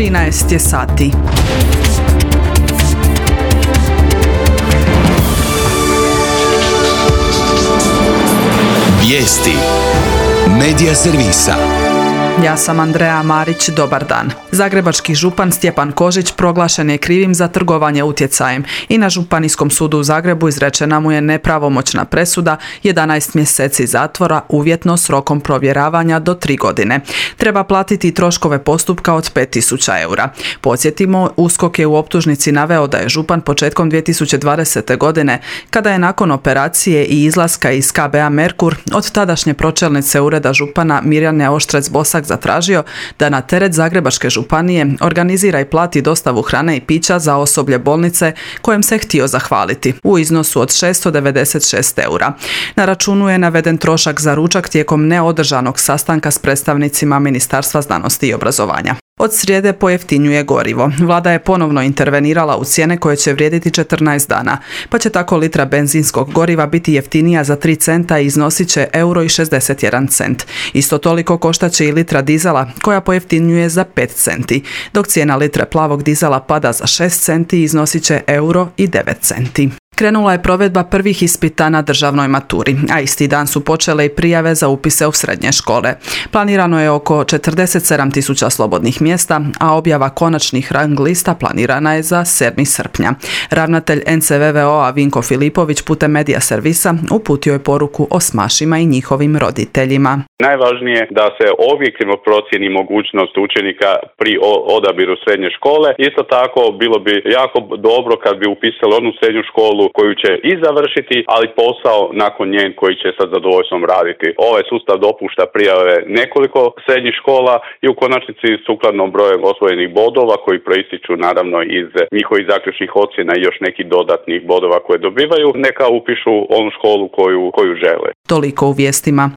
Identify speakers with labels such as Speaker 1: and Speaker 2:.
Speaker 1: 13 je sati.
Speaker 2: Vijesti Medija servisa.
Speaker 1: Ja sam Andreja Marić, dobar dan. Zagrebački župan Stjepan Kožić proglašen je krivim za trgovanje utjecajem i na Županijskom sudu u Zagrebu izrečena mu je nepravomoćna presuda 11 mjeseci zatvora uvjetno s rokom provjeravanja do 3 godine. Treba platiti troškove postupka od 5.000 eura. Podsjetimo, USKOK je u optužnici naveo da je župan početkom 2020. godine, kada je nakon operacije i izlaska iz KBA Merkur od tadašnje pročelnice ureda župana Mirjane Oštrec-Bosak zatražio da na teret Zagrebačke županije organizira i plati dostavu hrane i pića za osoblje bolnice kojem se htio zahvaliti u iznosu od 696 eura. Na računu je naveden trošak za ručak tijekom neodržanog sastanka s predstavnicima Ministarstva znanosti i obrazovanja. Od srijede pojeftinjuje gorivo. Vlada je ponovno intervenirala u cijene koje će vrijediti 14 dana, pa će tako litra benzinskog goriva biti jeftinija za 3 centa i iznosit će €1,61. Isto toliko koštat će i litra dizela koja pojeftinjuje za 5 centi, dok cijena litre plavog dizela pada za 6 centi i iznosit će €1,09. Krenula je provedba prvih ispita na državnoj maturi, a isti dan su počele i prijave za upise u srednje škole. Planirano je oko 47.000 slobodnih mjesta, a objava konačnih rang lista planirana je za 7. srpnja. Ravnatelj NCVVO-a Vinko Filipović putem medija servisa uputio je poruku osmašima i njihovim roditeljima.
Speaker 3: Najvažnije je da se objektivno procijeni mogućnost učenika pri odabiru srednje škole. Isto tako bilo bi jako dobro kad bi upisali onu srednju školu koju će i završiti, ali posao nakon nje koji će sa zadovoljstvom raditi. Ovaj sustav dopušta prijave nekoliko srednjih škola i u konačnici sukladno brojem osvojenih bodova koji proističu naravno iz njihovih zaključnih ocjena i još nekih dodatnih bodova koje dobivaju, neka upišu onu školu koju žele.
Speaker 1: Toliko u vijestima.